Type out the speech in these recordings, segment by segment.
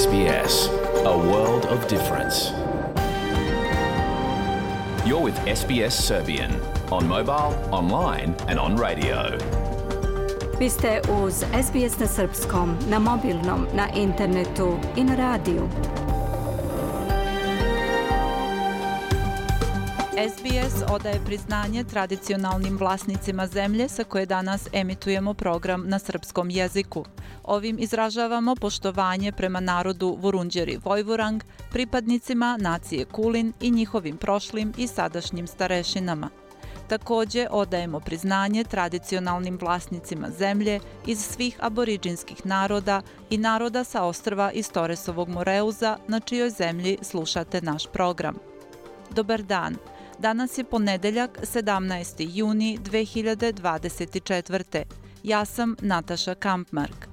SBS, a world of difference. You're with SBS Serbian on mobile, online and on radio. Vi ste uz SBS na srpskom, na mobilnom, na internetu i na radiju. SBS odaje priznanje tradicionalnim vlasnicima zemlje sa koje danas emitujemo program na srpskom jeziku. Ovim izražavamo poštovanje prema narodu Vurundjeri Vojvorang, pripadnicima nacije Kulin i njihovim prošlim i sadašnjim starešinama. Takođe odajemo priznanje tradicionalnim vlasnicima zemlje iz svih aboriđinskih naroda i naroda sa ostrva iz Toresovog Moreuza, na čijoj zemlji slušate naš program. Dobar dan. Danas je ponedeljak, 17. juni 2024. Ja sam Nataša Kampmark.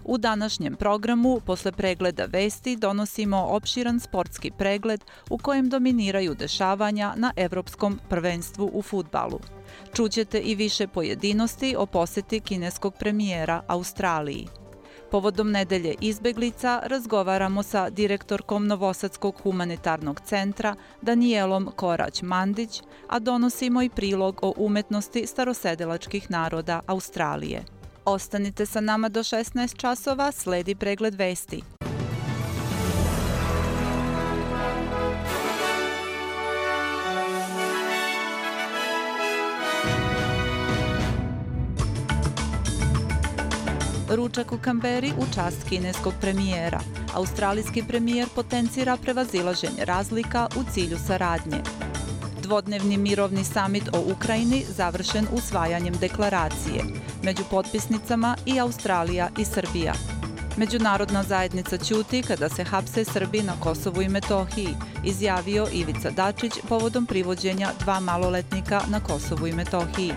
U današnjem programu, posle pregleda vesti, donosimo opširan sportski pregled u kojem dominiraju dešavanja na Evropskom prvenstvu u fudbalu. Čućete i više pojedinosti o poseti kineskog premijera Australiji. Povodom nedelje izbeglica razgovaramo sa direktorkom Novosadskog humanitarnog centra Danijelom Korać-Mandić, a donosimo i prilog o umetnosti starosedelačkih naroda Australije. Ostanite sa nama do 16 časova, sledi pregled vesti. Ručak u Kamberi u čast kineskog premijera. Australijski premijer potencira prevazilaženje razlika u cilju saradnje. Dvodnevni mirovni samit o Ukrajini završen usvajanjem deklaracije. Među potpisnicama i Australija i Srbija. Međunarodna zajednica ćuti kada se hapse Srbi na Kosovu i Metohiji, izjavio Ivica Dačić povodom privođenja 2 maloletnika na Kosovu i Metohiji.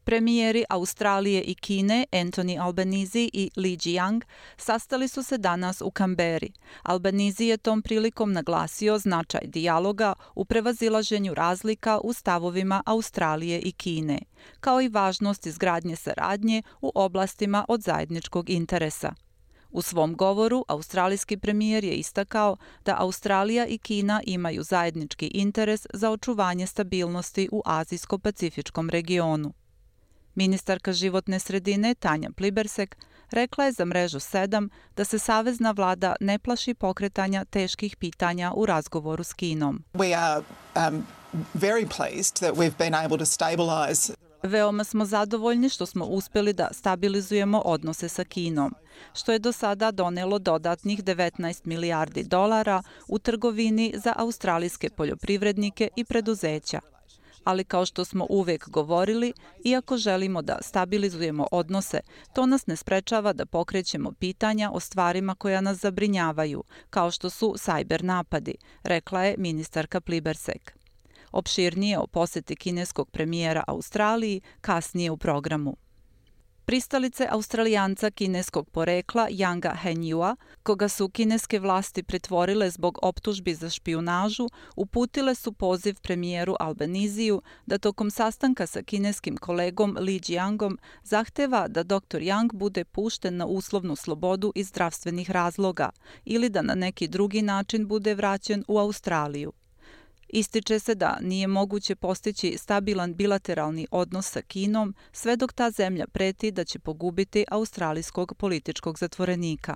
Premijeri Australije i Kine, Anthony Albanese i Li Qiang, sastali su se danas u Kamberi. Albanese je tom prilikom naglasio značaj dijaloga u prevazilaženju razlika u stavovima Australije i Kine, kao i važnost izgradnje saradnje u oblastima od zajedničkog interesa. U svom govoru, australijski premijer je istakao da Australija i Kina imaju zajednički interes za očuvanje stabilnosti u Azijsko-pacifičkom regionu. Ministarka životne sredine Tanja Plibersek rekla je za mrežu 7 da se savezna vlada ne plaši pokretanja teških pitanja u razgovoru s Kinom. Veoma smo zadovoljni što smo uspeli da stabilizujemo odnose sa Kinom, što je do sada donelo dodatnih 19 milijardi dolara u trgovini za australijske poljoprivrednike i preduzeća. Ali kao što smo uvek govorili, iako želimo da stabilizujemo odnose, to nas ne sprečava da pokrećemo pitanja o stvarima koja nas zabrinjavaju, kao što su sajber napadi, rekla je ministarka Plibersek. Opširnije o poseti kineskog premijera Australiji kasnije u programu. Pristalice Australijanca kineskog porekla Yanga Hengyua, koga su kineske vlasti pritvorile zbog optužbi za špijunažu, uputile su poziv premijeru Albanesiju da tokom sastanka sa kineskim kolegom Li Qiangom zahteva da dr. Yang bude pušten na uslovnu slobodu iz zdravstvenih razloga ili da na neki drugi način bude vraćen u Australiju. Ističe se da nije moguće postići stabilan bilateralni odnos sa Kinom sve dok ta zemlja preti da će pogubiti australijskog političkog zatvorenika.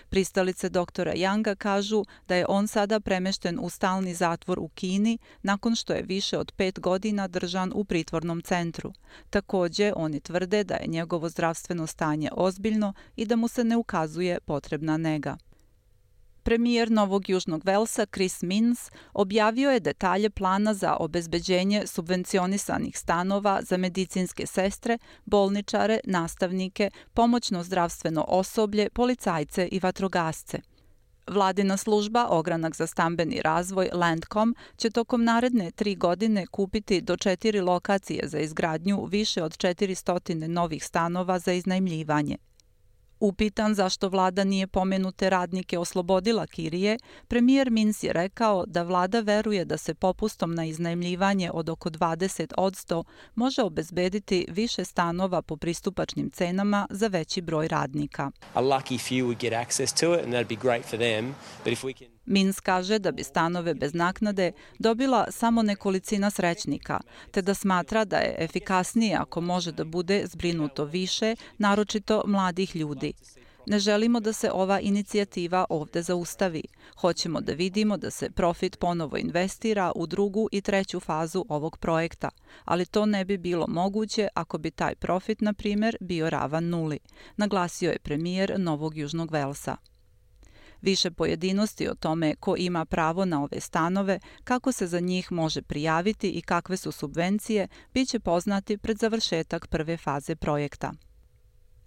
Pristalice doktora Yanga kažu da je on sada premešten u stalni zatvor u Kini nakon što je više od 5 godina držan u pritvornom centru. Takođe, oni tvrde da je njegovo zdravstveno stanje ozbiljno i da mu se ne ukazuje potrebna nega. Premijer Novog Južnog Velsa Chris Minns objavio je detalje plana za obezbeđenje subvencionisanih stanova za medicinske sestre, bolničare, nastavnike, pomoćno zdravstveno osoblje, policajce i vatrogasce. Vladina služba Ogranak za stambeni razvoj Landcom će tokom naredne 3 godine kupiti do 4 lokacije za izgradnju više od 400 novih stanova za iznajmljivanje. Upitan zašto vlada nije pomenute radnike oslobodila kirije, premijer Minc je rekao da vlada veruje da se popustom na iznajmljivanje od oko 20% može obezbediti više stanova po pristupačnim cenama za veći broj radnika. Minc kaže da bi stanove bez naknade dobila samo nekolicina srećnika, te da smatra da je efikasnije ako može da bude zbrinuto više, naročito mladih ljudi. Ne želimo da se ova inicijativa ovde zaustavi. Hoćemo da vidimo da se profit ponovo investira u drugu i treću fazu ovog projekta, ali to ne bi bilo moguće ako bi taj profit, na primer, bio ravan nuli, naglasio je premijer Novog Južnog Velsa. Više pojedinosti o tome ko ima pravo na ove stanove, kako se za njih može prijaviti i kakve su subvencije, biće poznati pred završetak prve faze projekta.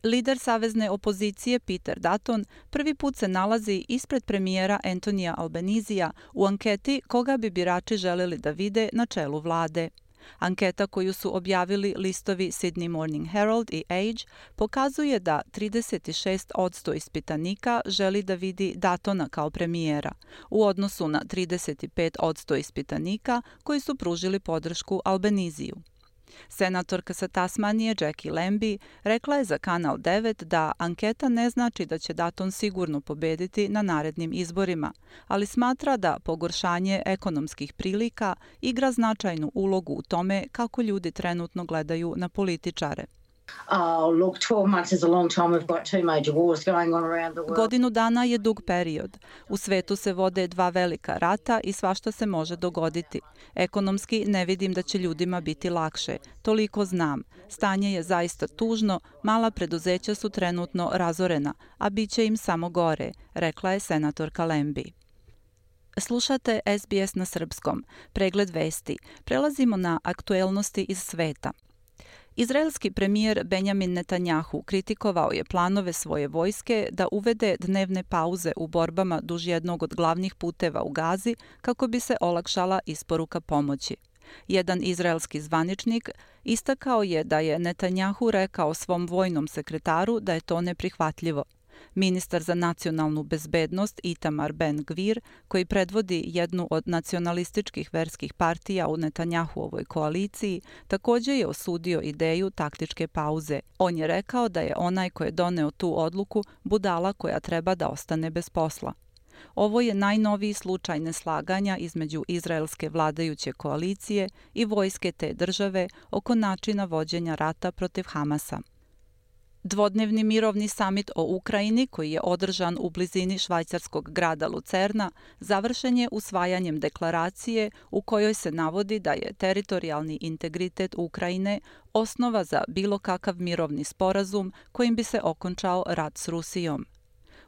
Lider savezne opozicije Peter Dutton prvi put se nalazi ispred premijera Antonija Albanizija u anketi koga bi birači želeli da vide na čelu vlade. Anketa koju su objavili listovi Sydney Morning Herald i Age pokazuje da 36% ispitanika želi da vidi Duttona kao premijera, u odnosu na 35% ispitanika koji su pružili podršku Albaniziju. Senatorka sa Tasmanije Jackie Lambie rekla je za Kanal 9 da anketa ne znači da će Dutton sigurno pobediti na narednim izborima, ali smatra da pogoršanje ekonomskih prilika igra značajnu ulogu u tome kako ljudi trenutno gledaju na političare. Godinu dana je dug period. U svetu se vode dva velika rata i svašta se može dogoditi. Ekonomski ne vidim da će ljudima biti lakše. Toliko znam. Stanje je zaista tužno, mala preduzeća su trenutno razorena, a bit će im samo gore, rekla je senatorka Lambie. Slušate SBS na srpskom. Pregled vesti. Prelazimo na aktuelnosti iz sveta. Izraelski premijer Benjamin Netanjahu kritikovao je planove svoje vojske da uvede dnevne pauze u borbama duž jednog od glavnih puteva u Gazi kako bi se olakšala isporuka pomoći. Jedan izraelski zvaničnik istakao je da je Netanjahu rekao svom vojnom sekretaru da je to neprihvatljivo. Ministar za nacionalnu bezbednost Itamar Ben-Gvir, koji predvodi jednu od nacionalističkih verskih partija u Netanjahuovoj koaliciji, također je osudio ideju taktičke pauze. On je rekao da je onaj ko je doneo tu odluku budala koja treba da ostane bez posla. Ovo je najnoviji slučaj neslaganja između izraelske vladajuće koalicije i vojske te države oko načina vođenja rata protiv Hamasa. Dvodnevni mirovni samit o Ukrajini, koji je održan u blizini švajcarskog grada Lucerna, završen je usvajanjem deklaracije u kojoj se navodi da je teritorijalni integritet Ukrajine osnova za bilo kakav mirovni sporazum kojim bi se okončao rat s Rusijom.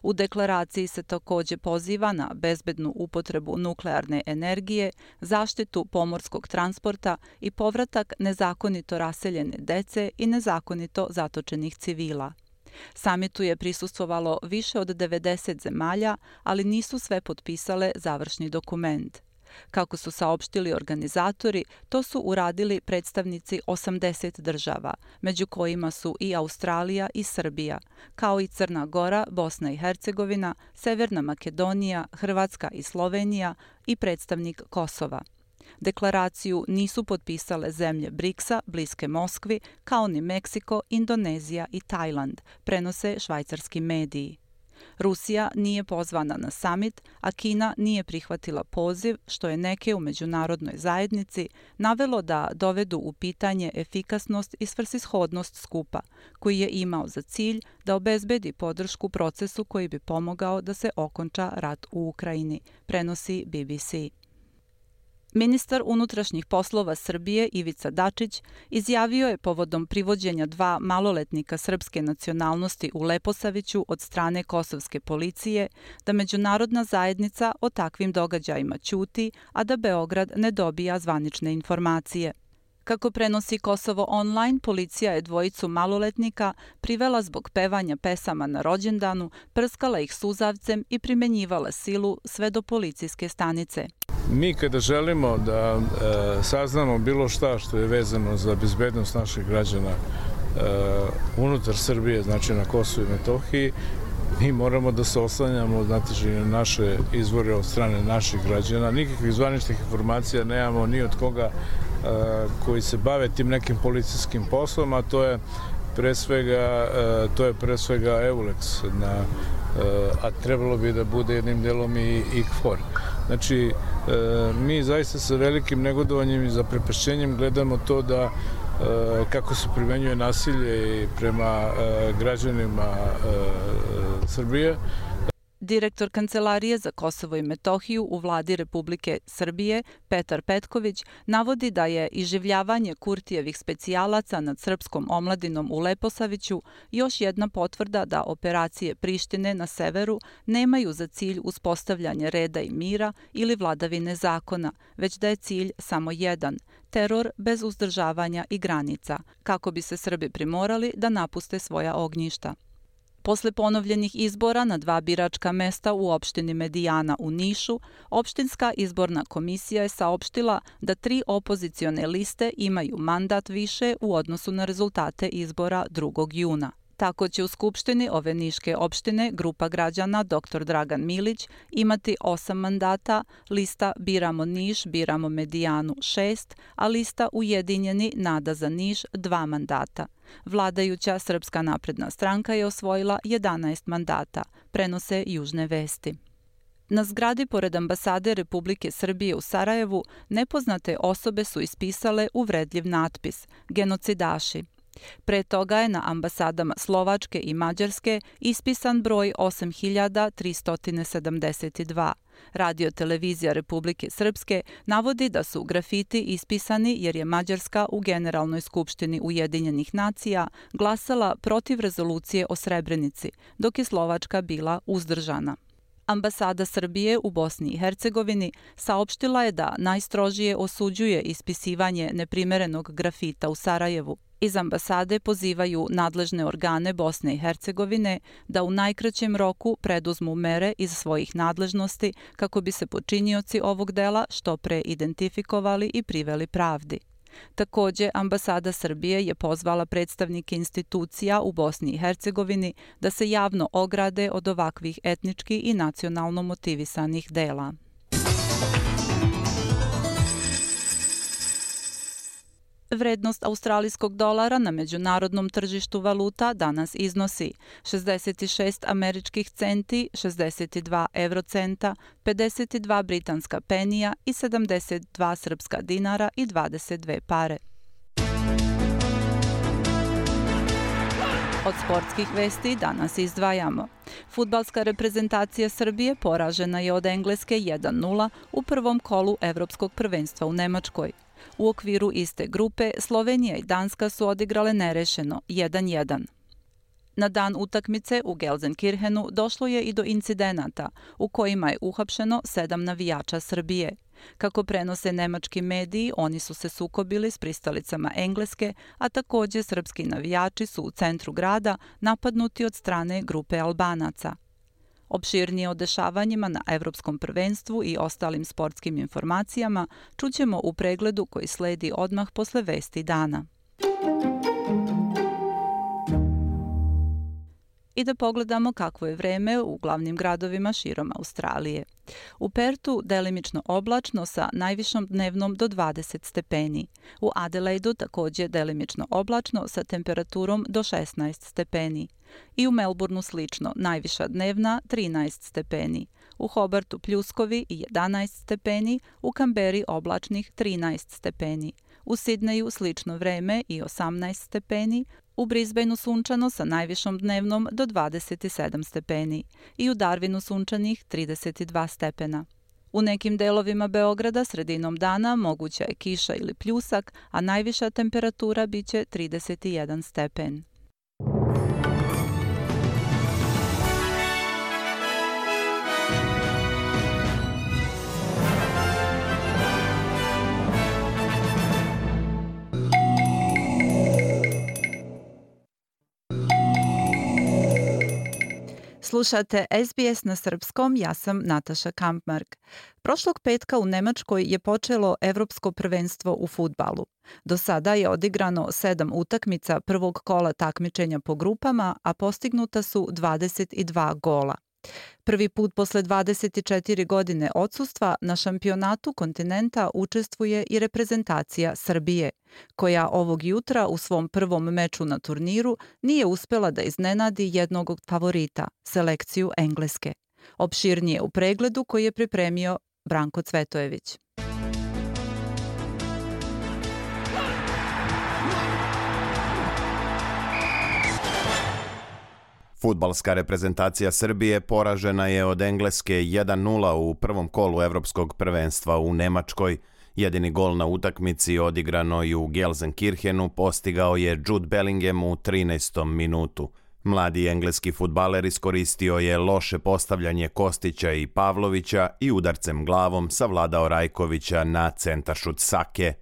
U deklaraciji se također poziva na bezbednu upotrebu nuklearne energije, zaštitu pomorskog transporta i povratak nezakonito raseljene dece i nezakonito zatočenih civila. Samitu je prisustvovalo više od 90 zemalja, ali nisu sve potpisale završni dokument. Kako su saopštili organizatori, to su uradili predstavnici 80 država, među kojima su i Australija i Srbija, kao i Crna Gora, Bosna i Hercegovina, Severna Makedonija, Hrvatska i Slovenija i predstavnik Kosova. Deklaraciju nisu potpisale zemlje BRICS-a, bliske Moskvi, kao ni Meksiko, Indonezija i Tajland, prenose švajcarski mediji. Rusija nije pozvana na samit, a Kina nije prihvatila poziv, što je neke u međunarodnoj zajednici navelo da dovedu u pitanje efikasnost i svrsishodnost skupa, koji je imao za cilj da obezbedi podršku procesu koji bi pomogao da se okonča rat u Ukrajini, prenosi BBC. Ministar unutrašnjih poslova Srbije Ivica Dačić izjavio je povodom privođenja dva maloletnika srpske nacionalnosti u Leposaviću od strane kosovske policije da međunarodna zajednica o takvim događajima ćuti, a da Beograd ne dobija zvanične informacije. Kako prenosi Kosovo online, policija je dvojicu maloletnika privela zbog pevanja pesama na rođendanu, prskala ih suzavcem i primenjivala silu sve do policijske stanice. Mi kada želimo da saznamo bilo šta što je vezano za bezbednost naših građana unutar Srbije, znači na Kosovu i Metohiji, mi moramo da se oslanjamo, znate, na naše izvore od strane naših građana. Nikakvih zvaničnih informacija nemamo ni od koga koji se bave tim nekim policijskim poslom, a to je pre svega EULEX, a trebalo bi da bude jednim delom i KFOR. Znači, mi zaista sa velikim negodovanjem i zaprepašćenjem gledamo to da kako se primenjuje nasilje prema građanima Srbije. Direktor Kancelarije za Kosovo i Metohiju u vladi Republike Srbije, Petar Petković, navodi da je iživljavanje Kurtijevih specijalaca nad srpskom omladinom u Leposaviću još jedna potvrda da operacije Prištine na severu nemaju za cilj uspostavljanje reda i mira ili vladavine zakona, već da je cilj samo jedan – teror bez uzdržavanja i granica, kako bi se Srbi primorali da napuste svoja ognjišta. Posle ponovljenih izbora na 2 biračka mesta u opštini Medijana u Nišu, opštinska izborna komisija je saopštila da 3 opozicione liste imaju mandat više u odnosu na rezultate izbora 2. juna. Tako će u Skupštini ove niške opštine grupa građana dr. Dragan Milić imati 8 mandata, lista Biramo Niš, Biramo Medijanu 6, a lista Ujedinjeni Nada za Niš 2 mandata. Vladajuća Srpska napredna stranka je osvojila 11 mandata, prenose Južne vesti. Na zgradi pored ambasade Republike Srbije u Sarajevu nepoznate osobe su ispisale uvredljiv natpis „Genocidaši“. Pre toga je na ambasadama Slovačke i Mađarske ispisan broj 8372. Radio-televizija Republike Srpske navodi da su grafiti ispisani jer je Mađarska u Generalnoj skupštini Ujedinjenih nacija glasala protiv rezolucije o Srebrenici, dok je Slovačka bila uzdržana. Ambasada Srbije u Bosni i Hercegovini saopštila je da najstrožije osuđuje ispisivanje neprimerenog grafita u Sarajevu. Iz ambasade pozivaju nadležne organe Bosne i Hercegovine da u najkraćem roku preduzmu mere iz svojih nadležnosti kako bi se počinioci ovog dela što pre identifikovali i priveli pravdi. Takođe, ambasada Srbije je pozvala predstavnike institucija u Bosni i Hercegovini da se javno ograde od ovakvih etnički i nacionalno motivisanih dela. Vrednost australijskog dolara na međunarodnom tržištu valuta danas iznosi 66 američkih centi, 62 eurocenta, 52 britanska penija i 72 srpska dinara i 22 pare. Od sportskih vesti danas izdvajamo. Fudbalska reprezentacija Srbije poražena je od Engleske 1:0 u prvom kolu Evropskog prvenstva u Nemačkoj. U okviru iste grupe Slovenija i Danska su odigrale nerešeno 1:1. Na dan utakmice u Gelsenkirchenu došlo je i do incidenata u kojima je uhapšeno 7 navijača Srbije. Kako prenose nemački mediji, oni su se sukobili s pristalicama Engleske, a takođe srpski navijači su u centru grada napadnuti od strane grupe Albanaca. Opširnije o dešavanjima na Evropskom prvenstvu i ostalim sportskim informacijama čućemo u pregledu koji sledi odmah posle vesti dana. I da pogledamo kakvo je vreme u glavnim gradovima širom Australije. U Pertu delimično oblačno sa najvišom dnevnom do 20 stepeni. U Adelaidu takođe delimično oblačno sa temperaturom do 16 stepeni. I u Melbourneu slično, najviša dnevna 13 stepeni. U Hobartu pljuskovi i 11 stepeni, u Kamberi oblačnih 13 stepeni. U Sidneju slično vreme i 18 stepeni, u Brisbaneu sunčano sa najvišom dnevnom do 27 stepeni i u Darwinu sunčanih 32 stepena. U nekim delovima Beograda sredinom dana moguća je kiša ili pljusak, a najviša temperatura biće 31 stepen. Slušate SBS na srpskom, ja sam Nataša Kampmark. Prošlog petka u Nemačkoj je počelo Evropsko prvenstvo u fudbalu. Do sada je odigrano 7 utakmica prvog kola takmičenja po grupama, a postignuta su 22 gola. Prvi put posle 24 godine odsustva na šampionatu kontinenta učestvuje i reprezentacija Srbije, koja ovog jutra u svom prvom meču na turniru nije uspela da iznenadi jednog od favorita, selekciju Engleske. Opširnije u pregledu koji je pripremio Branko Cvetojević. Fudbalska reprezentacija Srbije poražena je od Engleske 1-0 u prvom kolu Evropskog prvenstva u Nemačkoj. Jedini gol na utakmici odigranoj u Gelsenkirchenu postigao je Jude Bellingham u 13. minutu. Mladi engleski fudbaler iskoristio je loše postavljanje Kostića i Pavlovića i udarcem glavom savladao Rajkovića na centaršut Sake.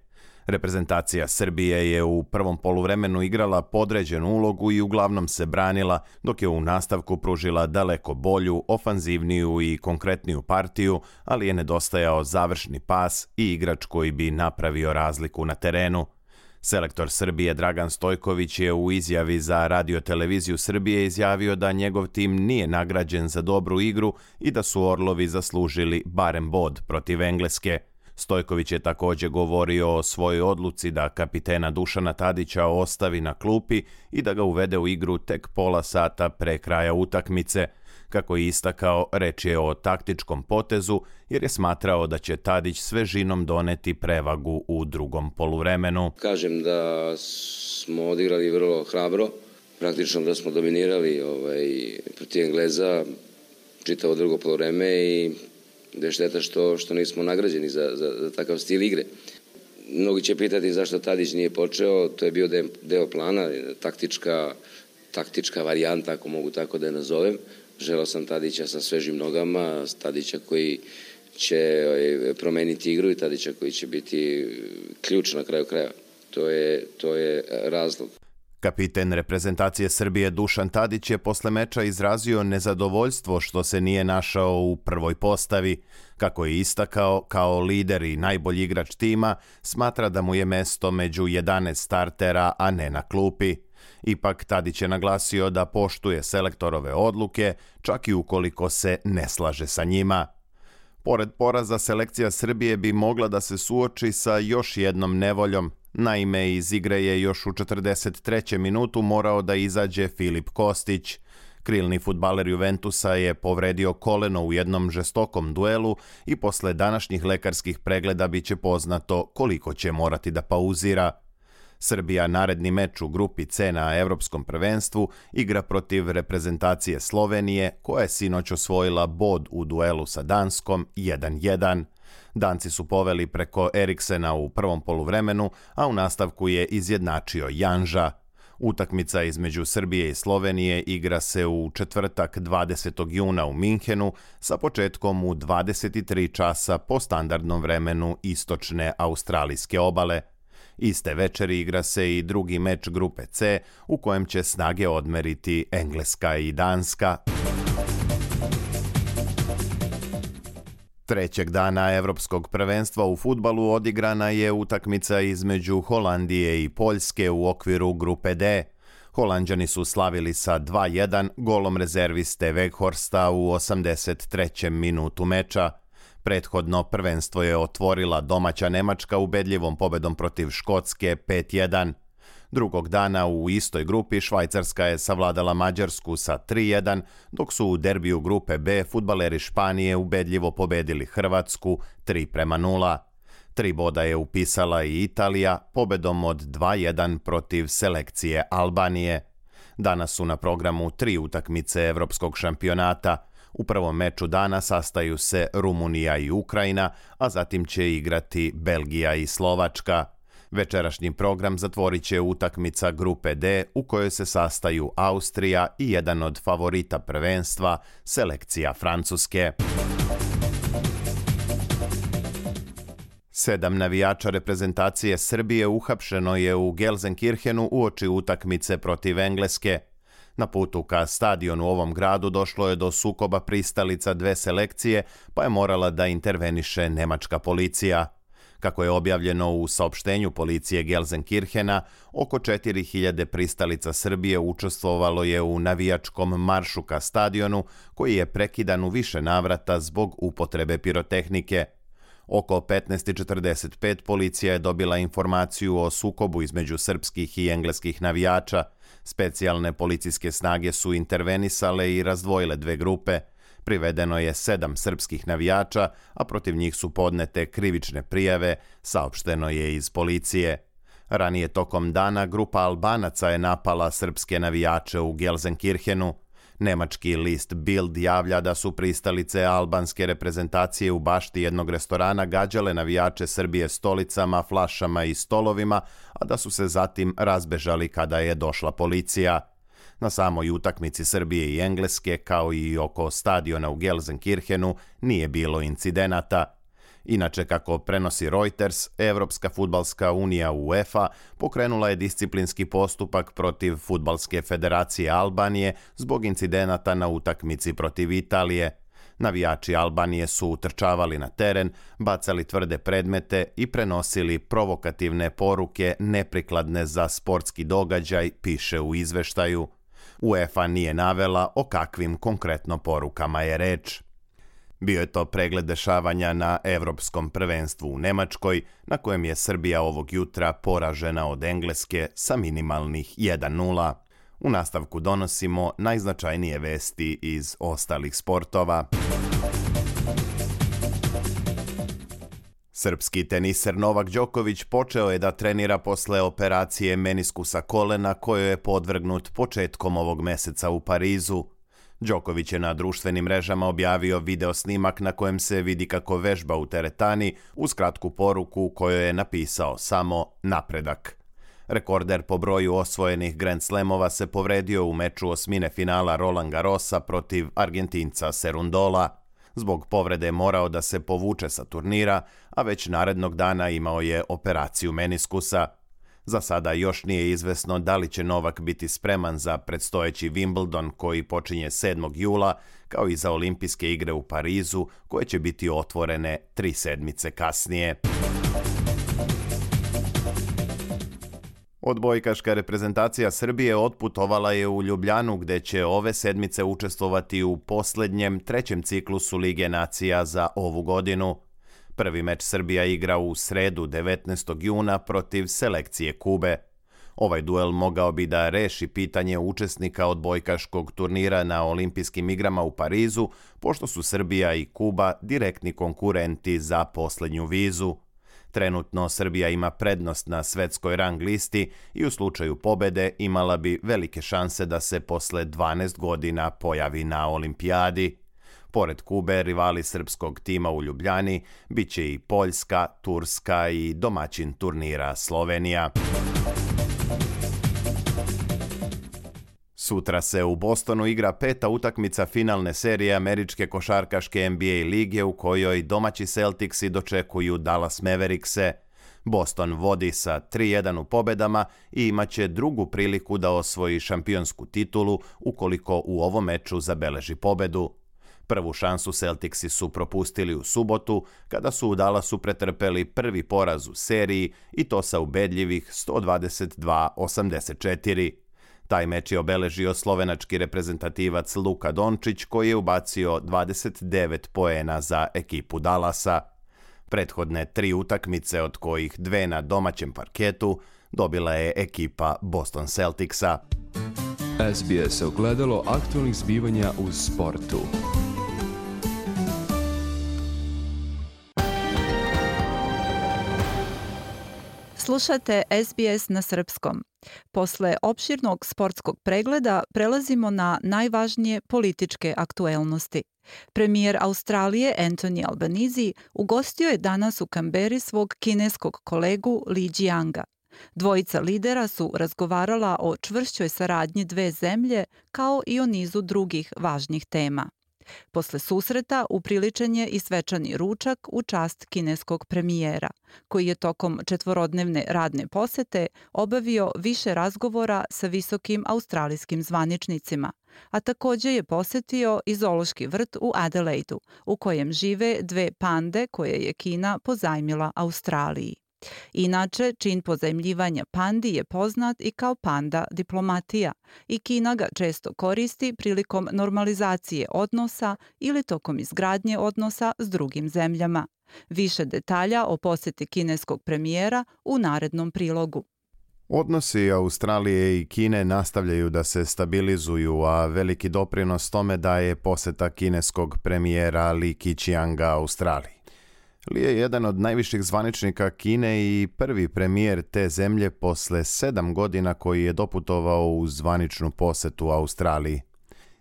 Reprezentacija Srbije je u prvom poluvremenu igrala podređenu ulogu i uglavnom se branila, dok je u nastavku pružila daleko bolju, ofanzivniju i konkretniju partiju, ali je nedostajao završni pas i igrač koji bi napravio razliku na terenu. Selektor Srbije Dragan Stojković je u izjavi za Radio-televiziju Srbije izjavio da njegov tim nije nagrađen za dobru igru i da su Orlovi zaslužili barem bod protiv Engleske. Stojković je također govorio o svojoj odluci da kapitena Dušana Tadića ostavi na klupi i da ga uvede u igru tek pola sata pre kraja utakmice. Kako je istakao, reč je o taktičkom potezu jer je smatrao da će Tadić svežinom doneti prevagu u drugom poluvremenu. Kažem da smo odigrali vrlo hrabro, praktično da smo dominirali protiv Engleza čitavo drugo poluvreme i da je šteta što nismo nagrađeni za takav stil igre. Mnogi će pitati zašto Tadić nije počeo, to je bio deo plana, taktička varijanta, ako mogu tako da je nazovem. Želeo sam Tadića sa svežim nogama, Tadića koji će promeniti igru i Tadića koji će biti ključ na kraju kraja. To je razlog. Kapiten reprezentacije Srbije Dušan Tadić je posle meča izrazio nezadovoljstvo što se nije našao u prvoj postavi. Kako je istakao, kao lider i najbolji igrač tima, smatra da mu je mesto među 11 startera, a ne na klupi. Ipak Tadić je naglasio da poštuje selektorove odluke, čak i ukoliko se ne slaže sa njima. Pored poraza, selekcija Srbije bi mogla da se suoči sa još jednom nevoljom. Naime, iz igre je još u 43. minutu morao da izađe Filip Kostić. Krilni fudbaler Juventusa je povredio koleno u jednom žestokom duelu i posle današnjih lekarskih pregleda biće poznato koliko će morati da pauzira. Srbija naredni meč u grupi C na Evropskom prvenstvu igra protiv reprezentacije Slovenije, koja je sinoć osvojila bod u duelu sa Danskom 1-1. Danci su poveli preko Eriksena u prvom poluvremenu, a u nastavku je izjednačio Janža. Utakmica između Srbije i Slovenije igra se u četvrtak 20. juna u Minhenu sa početkom u 23 časa po standardnom vremenu istočne australijske obale. Iste večeri igra se i drugi meč grupe C u kojem će snage odmeriti Engleska i Danska. Trećeg dana Evropskog prvenstva u fudbalu odigrana je utakmica između Holandije i Poljske u okviru grupe D. Holanđani su slavili sa 2-1 golom rezerviste Weghorsta u 83. minutu meča. Prethodno prvenstvo je otvorila domaća Nemačka ubedljivom pobedom protiv Škotske 5-1. Drugog dana u istoj grupi Švajcarska je savladala Mađarsku sa 3-1, dok su u derbiju grupe B fudbaleri Španije ubedljivo pobedili Hrvatsku 3-0. 3 boda je upisala i Italija pobedom od 2-1 protiv selekcije Albanije. Danas su na programu 3 utakmice Evropskog šampionata. U prvom meču dana sastaju se Rumunija i Ukrajina, a zatim će igrati Belgija i Slovačka. Večerašnji program zatvorit će utakmica grupe D u kojoj se sastaju Austrija i jedan od favorita prvenstva, selekcija Francuske. 7 navijača reprezentacije Srbije uhapšeno je u Gelsenkirchenu uoči utakmice protiv Engleske. Na putu ka stadionu u ovom gradu došlo je do sukoba pristalica dve selekcije, pa je morala da interveniše nemačka policija. Kako je objavljeno u saopštenju policije Gelsenkirchena, oko 4000 pristalica Srbije učestvovalo je u navijačkom maršu ka stadionu, koji je prekidan u više navrata zbog upotrebe pirotehnike. Oko 15:45 policija je dobila informaciju o sukobu između srpskih i engleskih navijača. Specijalne policijske snage su intervenisale i razdvojile dve grupe. Privedeno je 7 srpskih navijača, a protiv njih su podnete krivične prijave, saopšteno je iz policije. Ranije tokom dana grupa Albanaca je napala srpske navijače u Gelsenkirchenu. Nemački list Bild javlja da su pristalice albanske reprezentacije u bašti jednog restorana gađale navijače Srbije stolicama, flašama i stolovima, a da su se zatim razbežali kada je došla policija. Na samoj utakmici Srbije i Engleske, kao i oko stadiona u Gelsenkirchenu, nije bilo incidenata. Inače, kako prenosi Reuters, Evropska fudbalska unija UEFA pokrenula je disciplinski postupak protiv Fudbalske federacije Albanije zbog incidenata na utakmici protiv Italije. Navijači Albanije su utrčavali na teren, bacali tvrde predmete i prenosili provokativne poruke neprikladne za sportski događaj, piše u izveštaju. UEFA nije navela o kakvim konkretno porukama je reč. Bio je to pregled dešavanja na Evropskom prvenstvu u Nemačkoj, na kojem je Srbija ovog jutra poražena od Engleske sa minimalnih 1:0. U nastavku donosimo najznačajnije vesti iz ostalih sportova. Srpski teniser Novak Đoković počeo je da trenira posle operacije meniskusa kolena kojoj je podvrgnut početkom ovog meseca u Parizu. Đoković je na društvenim mrežama objavio video snimak na kojem se vidi kako vežba u teretani uz kratku poruku u kojoj je napisao samo napredak. Rekorder po broju osvojenih Grand Slamova se povredio u meču osmine finala Roland Garrosa protiv Argentinca Serundola. Zbog povrede je morao da se povuče sa turnira, a već narednog dana imao je operaciju meniskusa. Za sada još nije izvesno da li će Novak biti spreman za predstojeći Wimbledon koji počinje 7. jula, kao i za olimpijske igre u Parizu, koje će biti otvorene 3 sedmice kasnije. Odbojkaška reprezentacija Srbije otputovala je u Ljubljanu, gde će ove sedmice učestvovati u poslednjem 3. ciklusu Lige nacija za ovu godinu. Prvi meč Srbija igra u sredu 19. juna protiv selekcije Kube. Ovaj duel mogao bi da reši pitanje učesnika odbojkaškog turnira na olimpijskim igrama u Parizu, pošto su Srbija i Kuba direktni konkurenti za poslednju vizu. Trenutno Srbija ima prednost na svetskoj rang listi i u slučaju pobede imala bi velike šanse da se posle 12 godina pojavi na olimpijadi. Pored Kube, rivali srpskog tima u Ljubljani biće i Poljska, Turska i domaćin turnira Slovenija. Sutra se u Bostonu igra 5. utakmica finalne serije američke košarkaške NBA lige u kojoj domaći Celticsi dočekuju Dallas Maverickse. Boston vodi sa 3:1 u pobedama i imaće drugu priliku da osvoji šampionsku titulu ukoliko u ovom meču zabeleži pobedu. Prvu šansu Celticsi su propustili u subotu, kada su u Dallasu pretrpeli prvi poraz u seriji i to sa ubedljivih 122-84. Taj meč je obeležio slovenački reprezentativac Luka Dončić, koji je ubacio 29 poena za ekipu Dallasa. Prethodne 3 utakmice, od kojih 2 na domaćem parketu, dobila je ekipa Boston Celticsa. SBS ogledalo aktualnih zbivanja u sportu. Slušate SBS na srpskom. Posle opširnog sportskog pregleda prelazimo na najvažnije političke aktuelnosti. Premijer Australije Anthony Albanese ugostio je danas u Kamberi svog kineskog kolegu Li Jianga. Dvojica lidera su razgovarala o čvršćoj saradnji dve zemlje kao i o nizu drugih važnih tema. Posle susreta upriličen je i svečani ručak u čast kineskog premijera, koji je tokom 4-dnevne radne posete obavio više razgovora sa visokim australijskim zvaničnicima, a takođe je posetio i zoološki vrt u Adelaidu, u kojem žive 2 pande koje je Kina pozajmila Australiji. Inače, čin pozajmljivanja pandi je poznat i kao panda diplomatija i Kina ga često koristi prilikom normalizacije odnosa ili tokom izgradnje odnosa s drugim zemljama. Više detalja o poseti kineskog premijera u narednom prilogu. Odnosi Australije i Kine nastavljaju da se stabilizuju, a veliki doprinos tome daje poseta kineskog premijera Li Keqianga Australiji. Li je jedan od najviših zvaničnika Kine i prvi premijer te zemlje posle 7 godina koji je doputovao u zvaničnu posetu Australiji.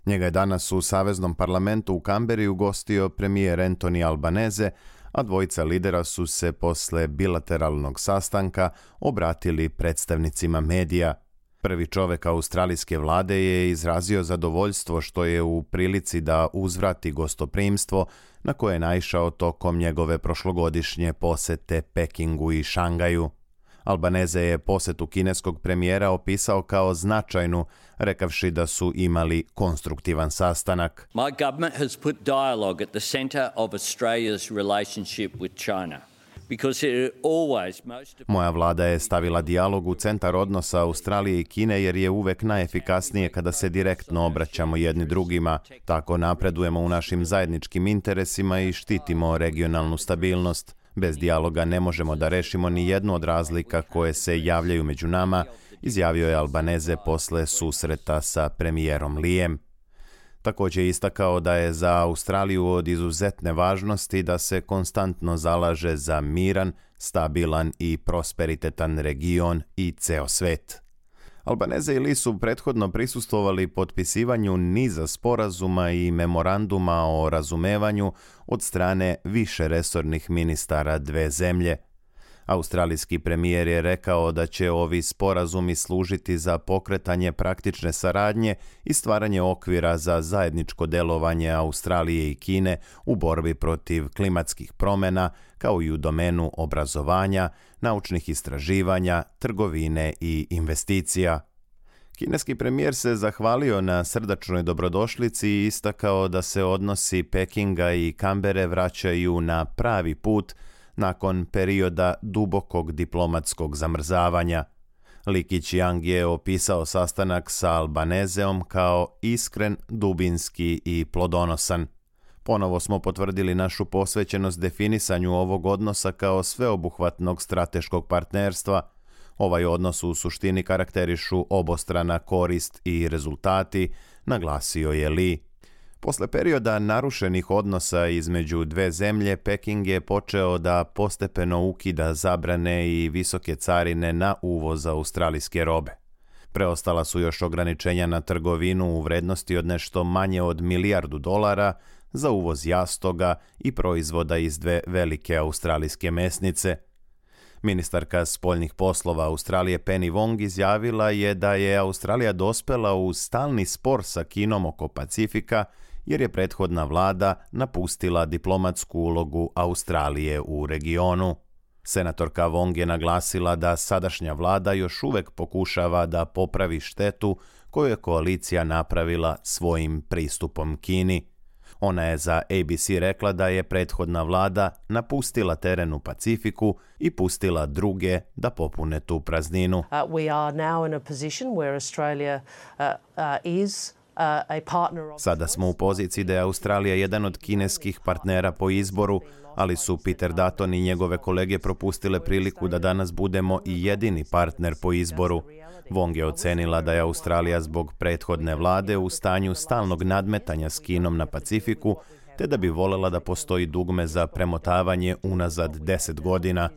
Njega je danas u Saveznom parlamentu u Kamberi ugostio premijer Anthony Albanese, a dvojica lidera su se posle bilateralnog sastanka obratili predstavnicima medija. Prvi čovek australijske vlade je izrazio zadovoljstvo što je u prilici da uzvrati gostoprimstvo na koje je naišao tokom njegove prošlogodišnje posete Pekingu i Šangaju. Albanese je posetu kineskog premijera opisao kao značajnu, rekavši da su imali konstruktivan sastanak. My government has put dialogue at the center of Australia's relationship with China. Moja vlada je stavila dijalog u centar odnosa Australije i Kine jer je uvek najefikasnije kada se direktno obraćamo jedni drugima. Tako napredujemo u našim zajedničkim interesima i štitimo regionalnu stabilnost. Bez dijaloga ne možemo da rešimo ni jednu od razlika koje se javljaju među nama, izjavio je Albanese posle susreta sa premijerom Lijem. Također je istakao da je za Australiju od izuzetne važnosti da se konstantno zalaže za miran, stabilan i prosperitetan region i ceo svet. Albanese i Li su prethodno prisustvovali potpisivanju niza sporazuma i memoranduma o razumevanju od strane više resornih ministara dve zemlje. Australijski premijer je rekao da će ovi sporazumi služiti za pokretanje praktične saradnje i stvaranje okvira za zajedničko delovanje Australije i Kine u borbi protiv klimatskih promjena, kao i u domenu obrazovanja, naučnih istraživanja, trgovine i investicija. Kineski premijer se zahvalio na srdačnoj dobrodošlici i istakao da se odnosi Pekinga i Kambere vraćaju na pravi put nakon perioda dubokog diplomatskog zamrzavanja. Li Keqiang je opisao sastanak sa Albaneseom kao iskren, dubinski i plodonosan. Ponovo smo potvrdili našu posvećenost definisanju ovog odnosa kao sveobuhvatnog strateškog partnerstva. Ovaj odnos u suštini karakterišu obostrana korist i rezultati, naglasio je Li. Posle perioda narušenih odnosa između dve zemlje, Peking je počeo da postepeno ukida zabrane i visoke carine na uvoz australijske robe. Preostala su još ograničenja na trgovinu u vrednosti od nešto manje od $1 milijardu za uvoz jastoga i proizvoda iz dve velike australijske mesnice. Ministarka spoljnih poslova Australije Penny Wong izjavila je da je Australija dospela u stalni spor sa Kinom oko Pacifika jer je prethodna vlada napustila diplomatsku ulogu Australije u regionu. Senatorka Wong je naglasila da sadašnja vlada još uvek pokušava da popravi štetu koju je koalicija napravila svojim pristupom Kini. Ona je za ABC rekla da je prethodna vlada napustila teren u Pacifiku i pustila druge da popune tu prazninu. Sada smo u poziciji da je Australija jedan od kineskih partnera po izboru, ali su Peter Dutton i njegove kolege propustile priliku da danas budemo i jedini partner po izboru. Wong je ocenila da je Australija zbog prethodne vlade u stanju stalnog nadmetanja s Kinom na Pacifiku, te da bi volela da postoji dugme za premotavanje unazad 10 godina.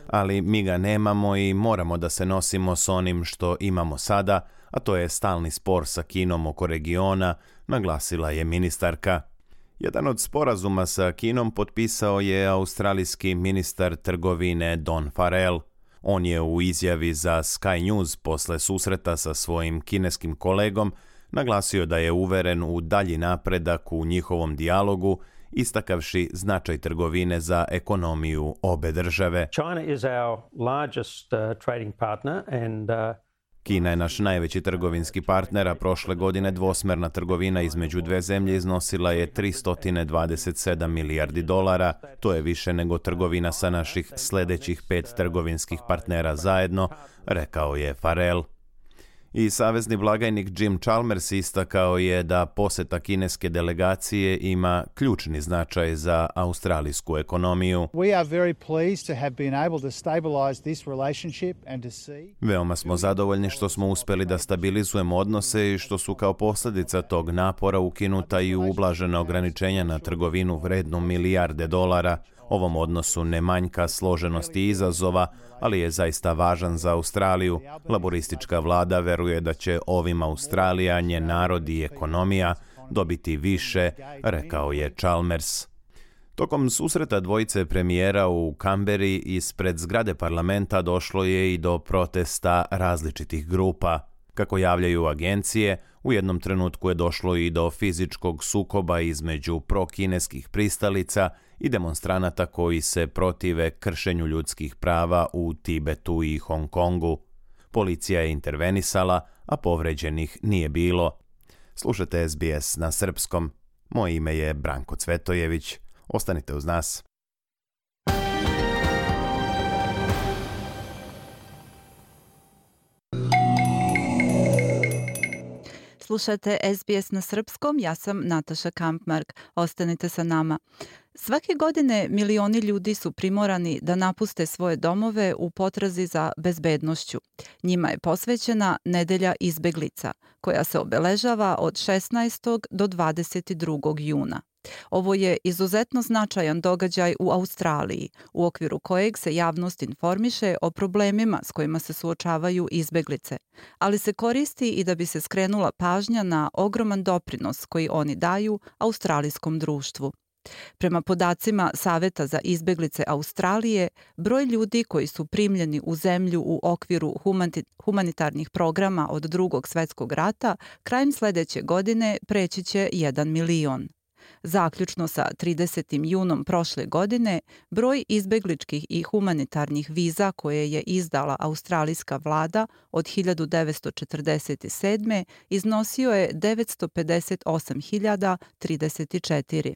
Ali mi ga nemamo i moramo da se nosimo s onim što imamo sada, a to je stalni spor sa Kinom oko regiona, naglasila je ministarka. Jedan od sporazuma sa Kinom potpisao je australijski ministar trgovine Don Farrell. On je u izjavi za Sky News posle susreta sa svojim kineskim kolegom Naglasio da je uveren u dalji napredak u njihovom dijalogu, istakavši značaj trgovine za ekonomiju obe države. China is our largest trading partner and Kina je naš najveći trgovinski partner, a prošle godine dvosmerna trgovina između dve zemlje iznosila je 327 milijardi dolara. To je više nego trgovina sa naših sljedećih 5 trgovinskih partnera zajedno, rekao je Farrell. I savezni blagajnik Jim Chalmers istakao je da poseta kineske delegacije ima ključni značaj za australijsku ekonomiju. Veoma smo zadovoljni što smo uspjeli da stabilizujemo odnose i što su kao posljedica tog napora ukinuta i ublažena ograničenja na trgovinu vrednu milijarde dolara. Ovom odnosu ne manjka složenosti i izazova, ali je zaista važan za Australiju. Laboristička vlada veruje da će ovim Australija, njen narod i ekonomija dobiti više, rekao je Chalmers. Tokom susreta dvojice premijera u Kamberi ispred zgrade parlamenta došlo je i do protesta različitih grupa. Kako javljaju agencije, u jednom trenutku je došlo i do fizičkog sukoba između prokineskih pristalica i demonstranata koji se protive kršenju ljudskih prava u Tibetu i Hong Kongu. Policija je intervenisala, a povređenih nije bilo. Slušajte SBS na srpskom. Moje ime je Branko Cvetojević. Ostanite uz nas. Slušajte SBS na srpskom, ja sam Nataša Kampmark. Ostanite sa nama. Svake godine milioni ljudi su primorani da napuste svoje domove u potrazi za bezbednošću. Njima je posvećena Nedelja izbeglica, koja se obeležava od 16. do 22. juna. Ovo je izuzetno značajan događaj u Australiji, u okviru kojeg se javnost informiše o problemima s kojima se suočavaju izbeglice, ali se koristi i da bi se skrenula pažnja na ogroman doprinos koji oni daju australijskom društvu. Prema podacima Saveta za izbeglice Australije, broj ljudi koji su primljeni u zemlju u okviru humanitarnih programa od Drugog svjetskog rata krajem sljedeće godine preći će 1 milion. Zaključno sa 30. junom prošle godine, broj izbegličkih i humanitarnih viza koje je izdala australijska vlada od 1947. iznosio je 958.034.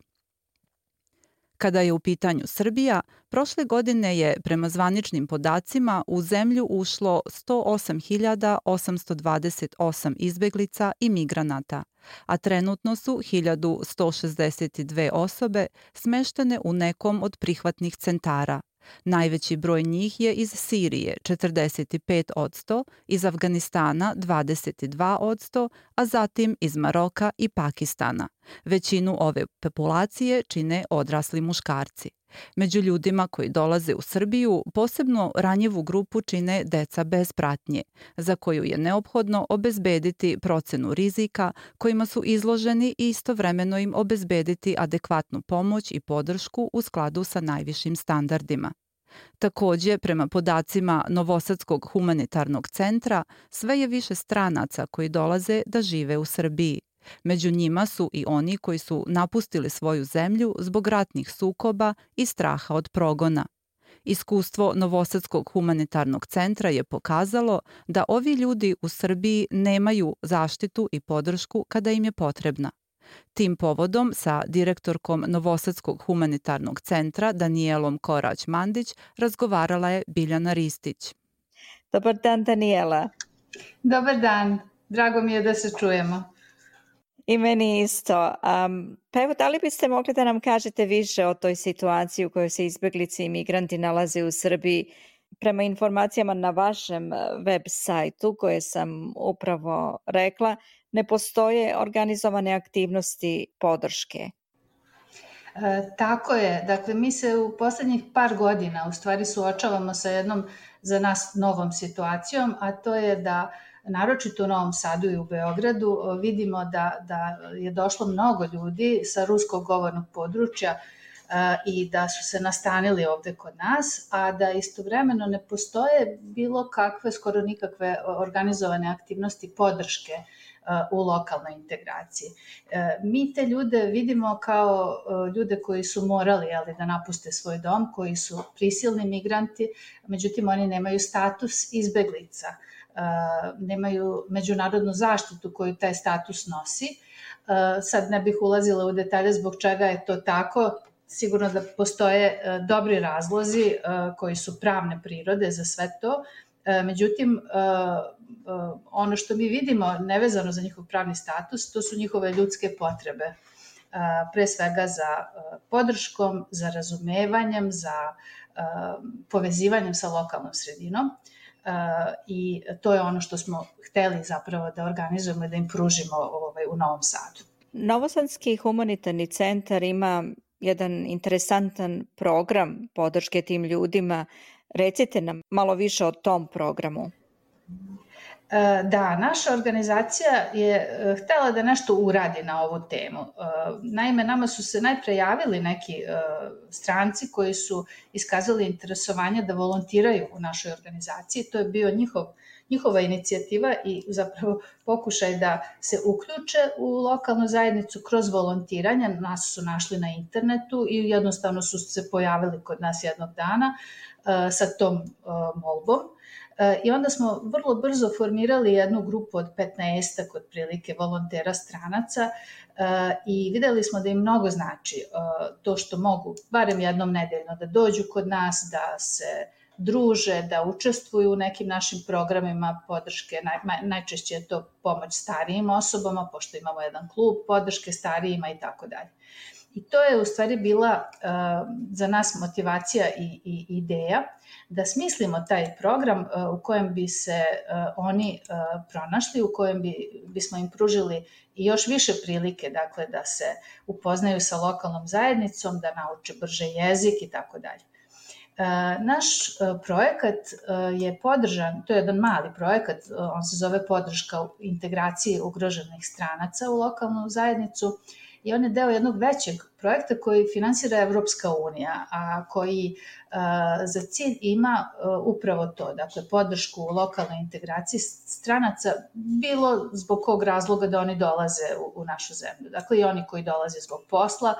Kada je u pitanju Srbija, prošle godine je prema zvaničnim podacima u zemlju ušlo 108.828 izbeglica i migranata, a trenutno su 1.162 osobe smeštene u nekom od prihvatnih centara. Najveći broj njih je iz Sirije 45%, iz Afganistana 22%, a zatim iz Maroka i Pakistana. Većinu ove populacije čine odrasli muškarci. Među ljudima koji dolaze u Srbiju posebno ranjivu grupu čine deca bez pratnje, za koju je neophodno obezbediti procenu rizika kojima su izloženi i istovremeno im obezbediti adekvatnu pomoć i podršku u skladu sa najvišim standardima. Također, prema podacima Novosadskog humanitarnog centra, sve je više stranaca koji dolaze da žive u Srbiji. Među njima su i oni koji su napustili svoju zemlju zbog ratnih sukoba i straha od progona. Iskustvo Novosadskog humanitarnog centra je pokazalo da ovi ljudi u Srbiji nemaju zaštitu i podršku kada im je potrebna. Tim povodom sa direktorkom Novosadskog humanitarnog centra Danijelom Korać-Mandić razgovarala je Biljana Ristić. Dobar dan, Danijela. Dobar dan, drago mi je da se čujemo. I meni isto. Pa evo, da li biste mogli da nam kažete više o toj situaciji u kojoj se izbeglice i migranti nalaze u Srbiji? Prema informacijama na vašem web sajtu koje sam upravo rekla, ne postoje organizovane aktivnosti podrške. Tako je. Dakle, mi se u posljednjih par godina u stvari suočavamo sa jednom za nas novom situacijom, a to je da naročito u Novom Sadu i u Beogradu vidimo da je došlo mnogo ljudi sa ruskog govornog područja i da su se nastanili ovde kod nas, a da istovremeno ne postoje bilo kakve, skoro nikakve organizovane aktivnosti podrške u lokalnoj integraciji. Mi te ljude vidimo kao ljude koji su morali da napuste svoj dom, koji su prisilni migranti, međutim oni nemaju status izbeglica, nemaju međunarodnu zaštitu koju taj status nosi. Sad ne bih ulazila u detalje zbog čega je to tako. Sigurno da postoje dobri razlozi koji su pravne prirode za sve to. Međutim, ono što mi vidimo nevezano za njihov pravni status, to su njihove ljudske potrebe. Pre svega za podrškom, za razumevanjem, za povezivanjem sa lokalnom sredinom. I to je ono što smo hteli zapravo da organizujemo i da im pružimo u Novom Sadu. Novosadski humanitarni centar ima jedan interesantan program podrške tim ljudima. Recite nam malo više o tom programu. Da, naša organizacija je htela da nešto uradi na ovu temu. Naime, nama su se najpre javili neki stranci koji su iskazali interesovanje da volontiraju u našoj organizaciji. To je bio njihova inicijativa i zapravo pokušaj da se uključe u lokalnu zajednicu kroz volontiranje. Nas su našli na internetu i jednostavno su se pojavili kod nas jednog dana sa tom molbom. I onda smo vrlo brzo formirali jednu grupu od 15 otprilike volontera stranaca i videli smo da im mnogo znači to što mogu barem jednom nedeljno da dođu kod nas, da se druže, da učestvuju u nekim našim programima podrške. Najčešće je to pomoć starijim osobama, pošto imamo jedan klub podrške starijima i tako dalje. I to je u stvari bila za nas motivacija i ideja da smislimo taj program u kojem bi se oni pronašli, u kojem bismo im pružili i još više prilike, dakle, da se upoznaju sa lokalnom zajednicom, da nauče brže jezik i tako dalje. Naš projekat je podržan, to je jedan mali projekat, on se zove Podrška integraciji ugroženih stranaca u lokalnu zajednicu, i on je deo jednog većeg projekta koji finansira Evropska unija, a koji za cilj ima upravo to, dakle podršku u lokalnoj integraciji stranaca, bilo zbog kog razloga da oni dolaze u našu zemlju. Dakle i oni koji dolaze zbog posla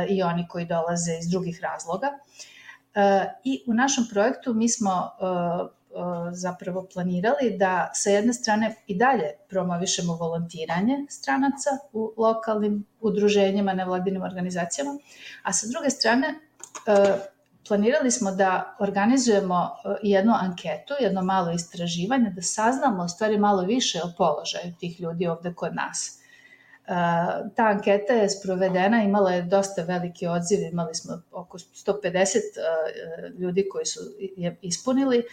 i oni koji dolaze iz drugih razloga. I u našem projektu mi smo zapravo planirali da sa jedne strane i dalje promovišemo volontiranje stranaca u lokalnim udruženjima, nevladinim organizacijama, a sa druge strane planirali smo da organizujemo jednu anketu, jedno malo istraživanje, da saznamo u stvari malo više o položaju tih ljudi ovde kod nas. Ta anketa je sprovedena, imala je dosta veliki odziv, imali smo oko 150 ljudi koji su je ispunili,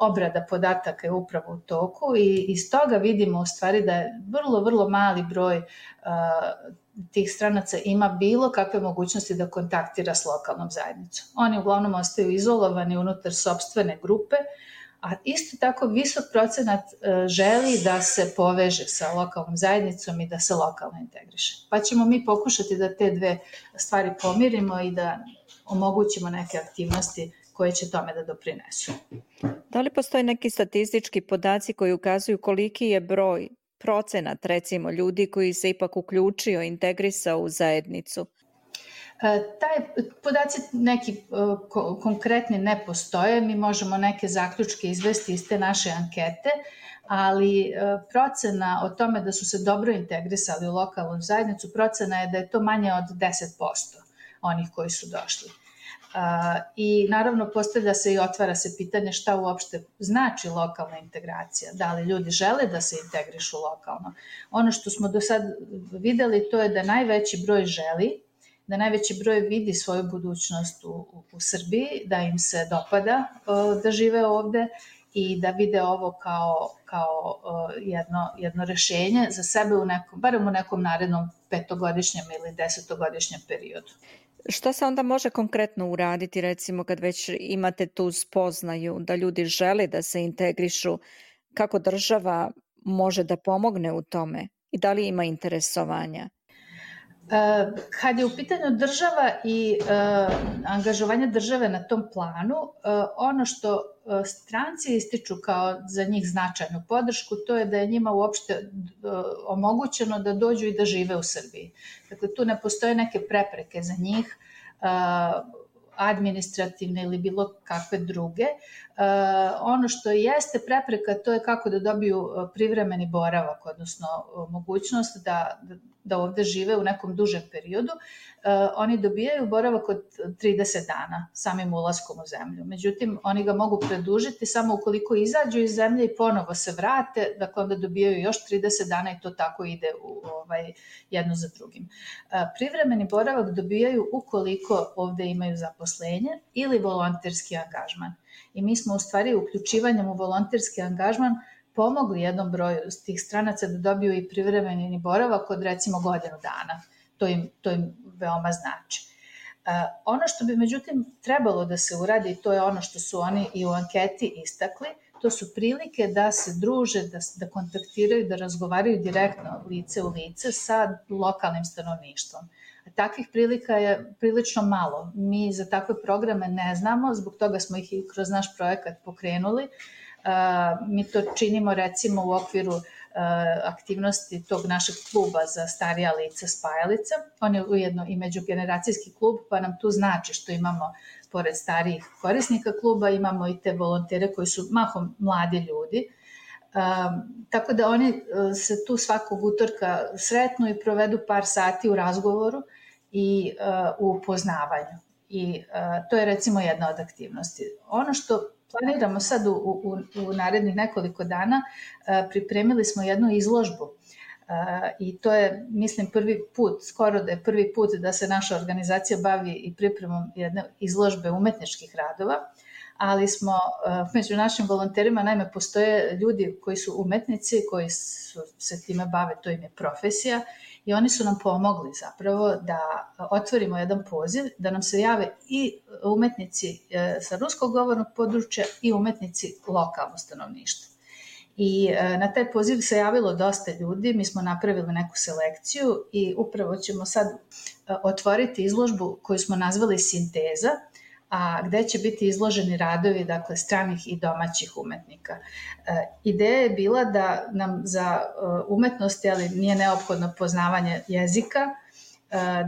obrada podataka je upravo u toku i iz toga vidimo u stvari da je vrlo, vrlo mali broj tih stranaca ima bilo kakve mogućnosti da kontaktira s lokalnom zajednicom. Oni uglavnom ostaju izolovani unutar sopstvene grupe, a isto tako visok procenat želi da se poveže sa lokalnom zajednicom i da se lokalno integriše. Pa ćemo mi pokušati da te dve stvari pomirimo i da omogućimo neke aktivnosti koje će tome da doprinesu. Da li postoje neki statistički podaci koji ukazuju koliki je broj, procenat recimo ljudi koji se ipak uključio, integrisao u zajednicu? Taj podaci neki konkretni ne postoje, mi možemo neke zaključke izvesti iz te naše ankete, ali procena o tome da su se dobro integrisali u lokalnu zajednicu, procena je da je to manje od 10% onih koji su došli. I naravno postavlja se i otvara se pitanje šta uopšte znači lokalna integracija, da li ljudi žele da se integrišu lokalno. Ono što smo do sad videli to je da najveći broj želi, da najveći broj vidi svoju budućnost u Srbiji, da im se dopada da žive ovde i da vide ovo kao jedno rešenje za sebe barem u nekom narednom 5-godišnjem ili 10-godišnjem periodu. Šta se onda može konkretno uraditi, recimo kad već imate tu spoznaju da ljudi žele da se integrišu, kako država može da pomogne u tome i da li ima interesovanja? Kad je u pitanju država i angažovanje države na tom planu, ono što stranci ističu kao za njih značajnu podršku, to je da je njima uopšte omogućeno da dođu i da žive u Srbiji. Dakle, tu ne postoje neke prepreke za njih, administrativne ili bilo kakve druge. Ono što jeste prepreka, to je kako da dobiju privremeni boravak, odnosno mogućnost da ovde žive u nekom dužem periodu. Oni dobijaju boravak od 30 dana samim ulaskom u zemlju. Međutim, oni ga mogu produžiti samo ukoliko izađu iz zemlje i ponovo se vrate, dakle onda dobijaju još 30 dana i to tako ide jedno za drugim. Privremeni boravak dobijaju ukoliko ovde imaju zaposlenje ili volonterski angažman. I mi smo u stvari uključivanjem u volonterski angažman pomogli jednom broju tih stranaca da dobiju i privremeni boravak od recimo godinu dana. To im veoma znači. Ono što bi međutim trebalo da se uradi, to je ono što su oni i u anketi istakli, to su prilike da se druže, da kontaktiraju, da razgovaraju direktno lice u lice sa lokalnim stanovništvom. Takvih prilika je prilično malo. Mi za takve programe ne znamo, zbog toga smo ih i kroz naš projekat pokrenuli. Mi to činimo recimo u okviru aktivnosti tog našeg kluba za starija lica Spajalica. On je ujedno i međugeneracijski klub, pa nam tu znači što imamo, pored starijih korisnika kluba, imamo i te volontere koji su mahom mladi ljudi. Tako da oni se tu svakog utorka sretnu i provedu par sati u razgovoru i u upoznavanju. I to je recimo jedna od aktivnosti. Ono što planiramo sad u narednih nekoliko dana, pripremili smo jednu izložbu i to je, mislim, prvi put, skoro da je prvi put da se naša organizacija bavi i pripremom jedne izložbe umetničkih radova, ali smo među našim volonterima, naime, postoje ljudi koji su umetnici, koji se time bave, to im je profesija, i oni su nam pomogli zapravo da otvorimo jedan poziv, da nam se jave i umetnici sa ruskog govornog područja i umetnici lokalno stanovništvo. I na taj poziv se javilo dosta ljudi, mi smo napravili neku selekciju i upravo ćemo sad otvoriti izložbu koju smo nazvali Sinteza, a gde će biti izloženi radovi, dakle, stranih i domaćih umetnika. Ideja je bila da nam za umetnosti, ali nije neophodno poznavanje jezika,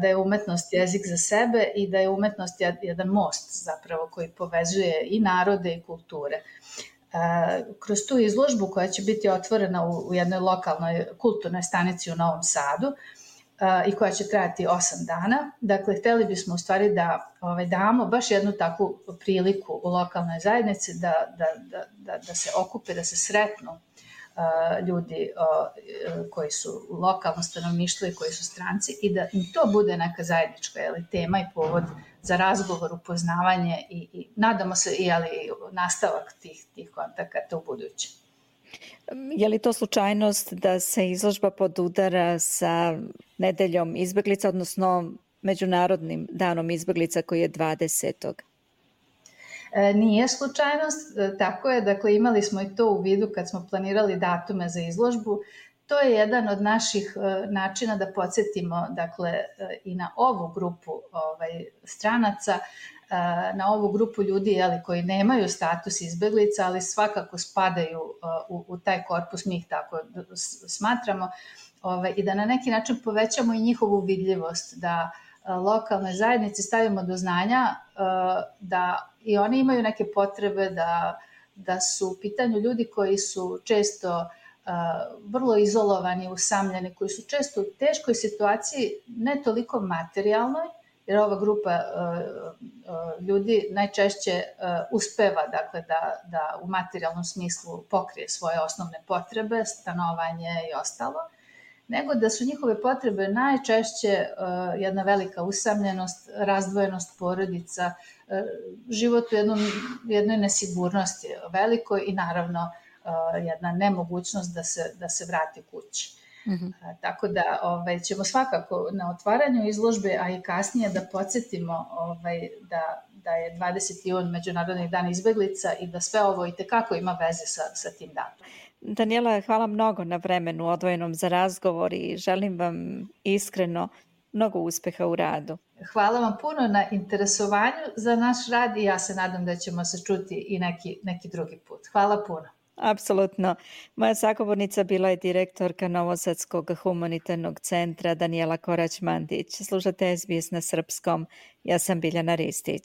da je umetnost jezik za sebe i da je umetnost jedan most zapravo koji povezuje i narode i kulture. Kroz tu izložbu koja će biti otvorena u jednoj lokalnoj kulturnoj stanici u Novom Sadu, i koja će trajati 8 dana. Dakle, hteli bismo u stvari da damo baš jednu takvu priliku u lokalnoj zajednici da se okupe, da se sretnu ljudi koji su lokalno stanovništvo i koji su stranci i da im to bude neka zajednička tema i povod za razgovor, upoznavanje i nadamo se i nastavak tih kontakata u buduće. Je li to slučajnost da se izložba podudara sa nedeljom izbeglica, odnosno Međunarodnim danom izbeglica koji je 20. Nije slučajnost, tako je, dakle imali smo i to u vidu kad smo planirali datume za izložbu. To je jedan od naših načina da podsjetimo, dakle, i na ovu grupu stranaca, na ovu grupu ljudi koji nemaju status izbeglica, ali svakako spadaju u taj korpus, mi ih tako smatramo, i da na neki način povećamo i njihovu vidljivost, da lokalnoj zajednici stavimo do znanja da i oni imaju neke potrebe, da su u pitanju ljudi koji su često vrlo izolovani, usamljeni, koji su često u teškoj situaciji, ne toliko materijalnoj, jer ova grupa ljudi najčešće uspeva, dakle, da u materijalnom smislu pokrije svoje osnovne potrebe, stanovanje i ostalo, nego da su njihove potrebe najčešće jedna velika usamljenost, razdvojenost porodica, život u jednoj nesigurnosti velikoj i naravno jedna nemogućnost da se vrati kući. Mm-hmm. Tako da ćemo svakako na otvaranju izložbe, a i kasnije da podsjetimo da je 20. jun Međunarodni dan izbeglica i da sve ovo itekako ima veze sa tim danom. Danijela, hvala mnogo na vremenu odvojenom za razgovor i želim vam iskreno Mnogo uspeha u radu. Hvala vam puno na interesovanju za naš rad i ja se nadam da ćemo se čuti i neki drugi put. Hvala puno. Apsolutno. Moja sagovornica bila je direktorka Novosadskog humanitarnog centra Danijela Korać-Mandić. Slušate SBS na srpskom. Ja sam Biljana Ristić.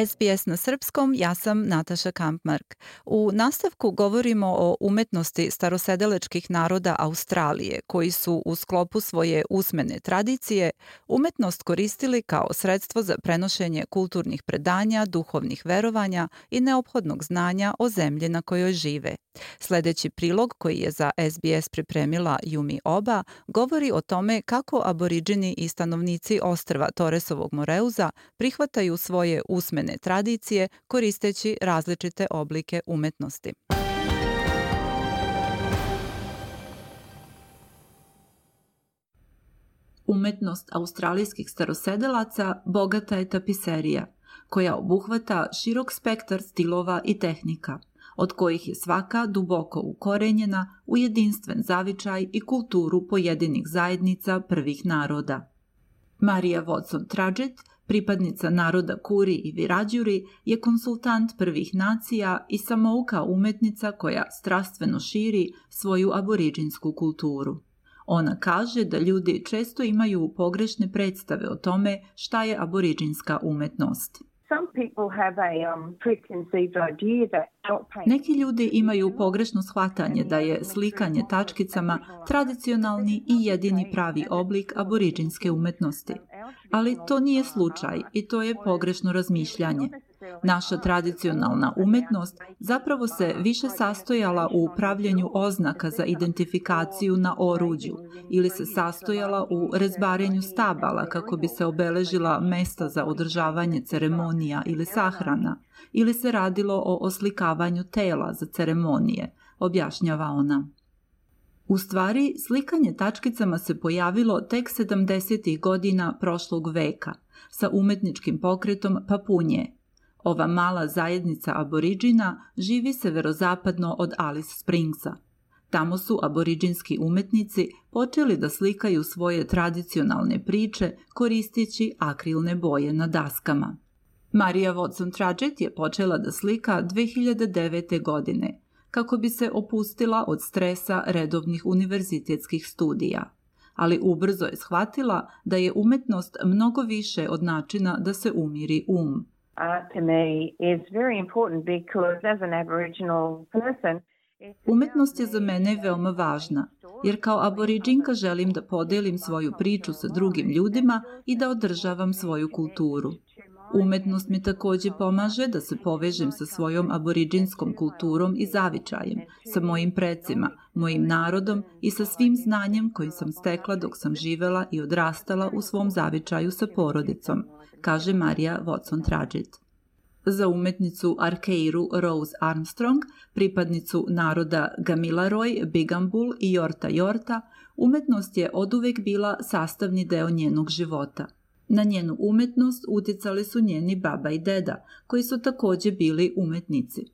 SBS na srpskom, ja sam Nataša Kampmark. U nastavku govorimo o umetnosti starosedelačkih naroda Australije, koji su u sklopu svoje usmene tradicije umetnost koristili kao sredstvo za prenošenje kulturnih predanja, duhovnih verovanja i neophodnog znanja o zemlji na kojoj žive. Sljedeći prilog, koji je za SBS pripremila Yumi Oba, govori o tome kako aboriđini i stanovnici ostrva Torresovog Moreuza prihvataju svoje usmene tradicije koristeći različite oblike umetnosti. Umetnost australijskih starosedelaca bogata je tapiserija, koja obuhvata širok spektar stilova i tehnika, od kojih je svaka duboko ukorenjena u jedinstven zavičaj i kulturu pojedinih zajednica prvih naroda. Marija Watson-Trudgett, pripadnica naroda Kuri i Wiradjuri, je konsultant prvih nacija i samouka umetnica koja strastveno širi svoju aboriđinsku kulturu. Ona kaže da ljudi često imaju pogrešne predstave o tome šta je aboriđinska umetnost. Neki ljudi imaju pogrešno shvatanje da je slikanje tačkicama tradicionalni i jedini pravi oblik aboriđinske umetnosti. Ali to nije slučaj i to je pogrešno razmišljanje. Naša tradicionalna umetnost zapravo se više sastojala u pravljenju oznaka za identifikaciju na oruđu ili se sastojala u rezbarenju stabala kako bi se obeležila mesta za održavanje ceremonija ili sahrana, ili se radilo o oslikavanju tela za ceremonije, objašnjava ona. U stvari, slikanje tačkicama se pojavilo tek 70. godina prošlog veka sa umetničkim pokretom Papunje. Ova mala zajednica aboriđina živi severozapadno od Alice Springsa. Tamo su aboriđinski umetnici počeli da slikaju svoje tradicionalne priče koristeći akrilne boje na daskama. Marija Watson-Trudgett je počela da slika 2009. godine, kako bi se opustila od stresa redovnih univerzitetskih studija. Ali ubrzo je shvatila da je umetnost mnogo više od načina da se umiri um. Umetnost je za mene veoma važna, jer kao aboriđinka želim da podelim svoju priču sa drugim ljudima i da održavam svoju kulturu. Umetnost mi također pomaže da se povežem sa svojom aboriđinskom kulturom i zavičajem, sa mojim precima, mojim narodom i sa svim znanjem kojim sam stekla dok sam živela i odrastala u svom zavičaju sa porodicom, kaže Marija Watson-Trudgett. Za umetnicu Arkeiru Rose Armstrong, pripadnicu naroda Gamilaroj, Bigambul i Yorta Yorta, umetnost je oduvek bila sastavni deo njenog života. Na njenu umetnost uticali su njeni baba i deda, koji su također bili umetnici.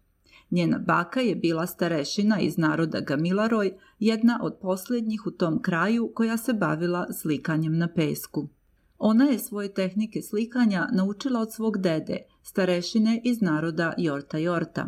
Njena baka je bila starešina iz naroda Gamilaroj, jedna od posljednjih u tom kraju koja se bavila slikanjem na pesku. Ona je svoje tehnike slikanja naučila od svog dede, starešine iz naroda Yorta Yorta.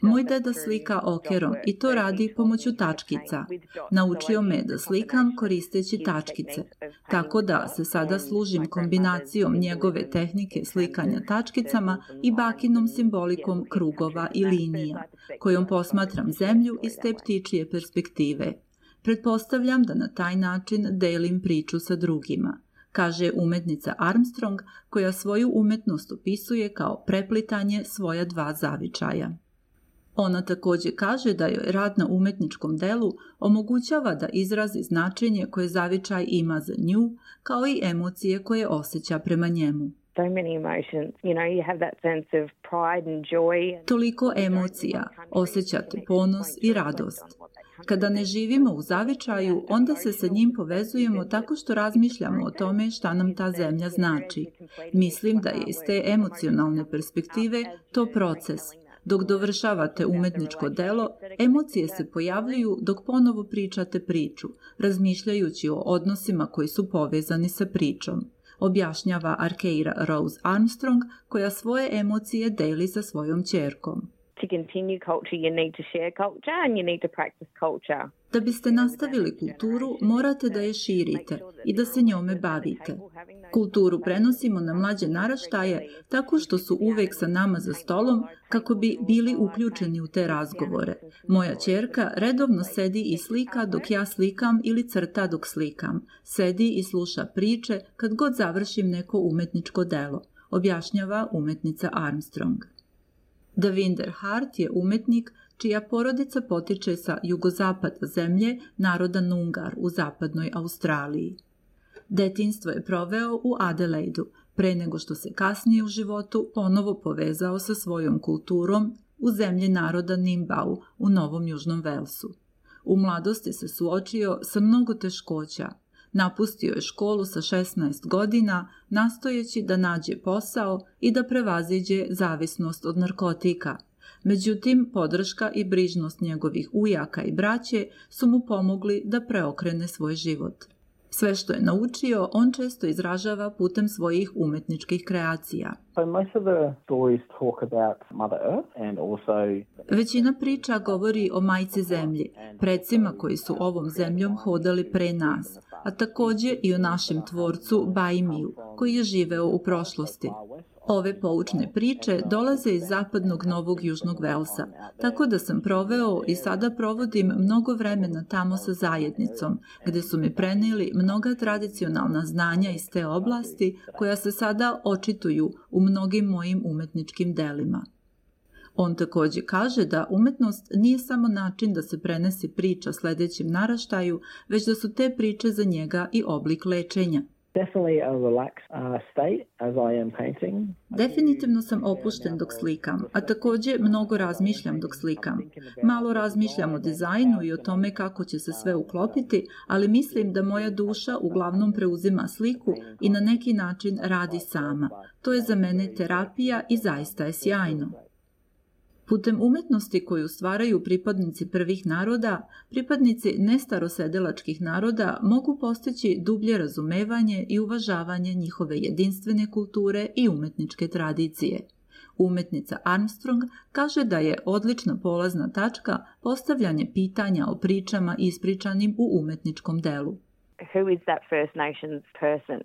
Moj deda slika okerom i to radi pomoću tačkica. Naučio me da slikam koristeći tačkice, tako da se sada služim kombinacijom njegove tehnike slikanja tačkicama i bakinom simbolikom krugova i linija, kojom posmatram zemlju iz te ptičije perspektive. Pretpostavljam da na taj način delim priču sa drugima, kaže umetnica Armstrong, koja svoju umetnost opisuje kao preplitanje svoja dva zavičaja. Ona također kaže da joj rad na umetničkom delu omogućava da izrazi značenje koje zavičaj ima za nju, kao i emocije koje osjeća prema njemu. Toliko emocija, osjećate ponos i radost. Kada ne živimo u zavičaju, onda se sa njim povezujemo tako što razmišljamo o tome šta nam ta zemlja znači. Mislim da je iz te emocionalne perspektive to proces, Dok dovršavate umetničko delo, emocije se pojavljuju dok ponovo pričate priču, razmišljajući o odnosima koji su povezani sa pričom, objašnjava Arkeira Rose Armstrong, koja svoje emocije deli sa svojom ćerkom. To continue culture, you need to share culture and you need to practice culture. Da biste nastavili kulturu, morate da je širite i da se njome bavite. Kulturu prenosimo na mlađe naraštaje tako što su uvek sa nama za stolom kako bi bili uključeni u te razgovore. Moja ćerka redovno sedi i slika dok ja slikam ili crta dok slikam. Sedi i sluša priče kad god završim neko umetničko delo, objašnjava umetnica Armstrong. Davinder Hart je umetnik čija porodica potiče sa jugozapada zemlje naroda Nungar u zapadnoj Australiji. Detinjstvo je proveo u Adelaidu, pre nego što se kasnije u životu ponovo povezao sa svojom kulturom u zemlji naroda Nimbau u Novom Južnom Velsu. U mladosti se suočio sa mnogo teškoća. Napustio je školu sa 16 godina, nastojeći da nađe posao i da prevaziđe zavisnost od narkotika. Međutim, podrška i brižnost njegovih ujaka i braće su mu pomogli da preokrene svoj život. Sve što je naučio, on često izražava putem svojih umetničkih kreacija. Većina priča govori o majci zemlji, precima koji su ovom zemljom hodali pre nas, a takođe i o našem tvorcu Baimiju, koji je živeo u prošlosti. Ove poučne priče dolaze iz zapadnog Novog Južnog Velsa, tako da sam proveo i sada provodim mnogo vremena tamo sa zajednicom, gde su mi preneli mnoga tradicionalna znanja iz te oblasti koja se sada očituju u mnogim mojim umetničkim delima. On takođe kaže da umetnost nije samo način da se prenese priča sledećem naraštaju, već da su te priče za njega i oblik lečenja. Definitivno sam opušten dok slikam, a takođe mnogo razmišljam dok slikam. Malo razmišljam o dizajnu i o tome kako će se sve uklopiti, ali mislim da moja duša uglavnom preuzima sliku i na neki način radi sama. To je za mene terapija i zaista je sjajno. Putem umetnosti koju stvaraju pripadnici prvih naroda, pripadnici nestarosedelačkih naroda mogu postići dublje razumevanje i uvažavanje njihove jedinstvene kulture i umetničke tradicije. Umetnica Armstrong kaže da je odlična polazna tačka postavljanje pitanja o pričama ispričanim u umetničkom delu. Who is that First Nations person?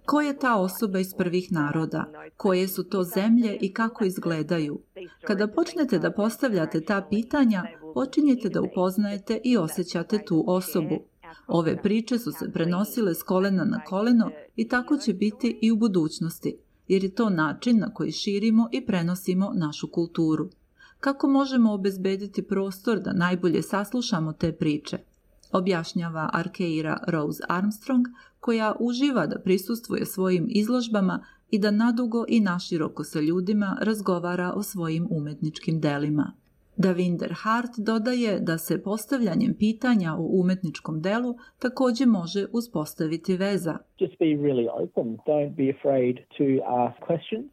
Ko je ta osoba iz prvih naroda? Koje su to zemlje i kako izgledaju? Kada počnete da postavljate ta pitanja, počinjete da upoznajete i osjećate tu osobu. Ove priče su se prenosile s kolena na koleno i tako će biti i u budućnosti, jer je to način na koji širimo i prenosimo našu kulturu. Kako možemo obezbediti prostor da najbolje saslušamo te priče? Objašnjava Arkeira Rose Armstrong, koja uživa da prisustvuje svojim izložbama i da nadugo i naširoko sa ljudima razgovara o svojim umetničkim delima. Davinder Hart dodaje da se postavljanjem pitanja o umetničkom delu takođe može uspostaviti veza.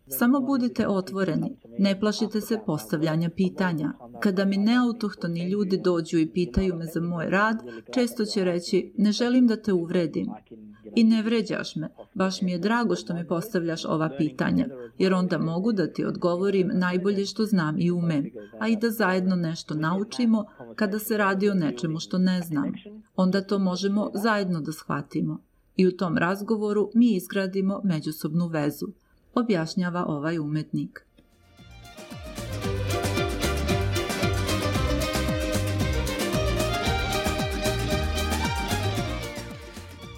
Samo budite otvoreni, ne plašite se postavljanja pitanja. Kada mi neautohtoni ljudi dođu i pitaju me za moj rad, često će reći, ne želim da te uvredim. I ne vređaš me, baš mi je drago što mi postavljaš ova pitanja, jer onda mogu da ti odgovorim najbolje što znam i umem, a i da zajedno nešto naučimo kada se radi o nečemu što ne znam. Onda to možemo zajedno da shvatimo. I u tom razgovoru mi izgradimo međusobnu vezu, objašnjava ovaj umetnik.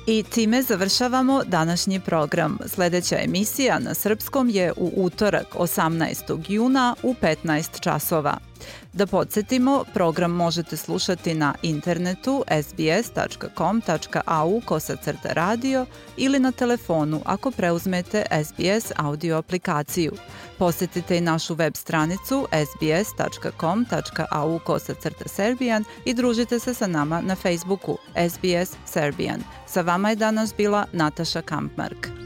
I time završavamo današnji program. Sljedeća emisija na srpskom je u utorak 18. juna u 15 časova. Da podsjetimo, program možete slušati na internetu sbs.com.au/radio ili na telefonu ako preuzmete SBS audio aplikaciju. Posjetite i našu web stranicu sbs.com.au/serbian i družite se sa nama na Facebooku SBS Serbian. Sa vama je danas bila Nataša Kampmark.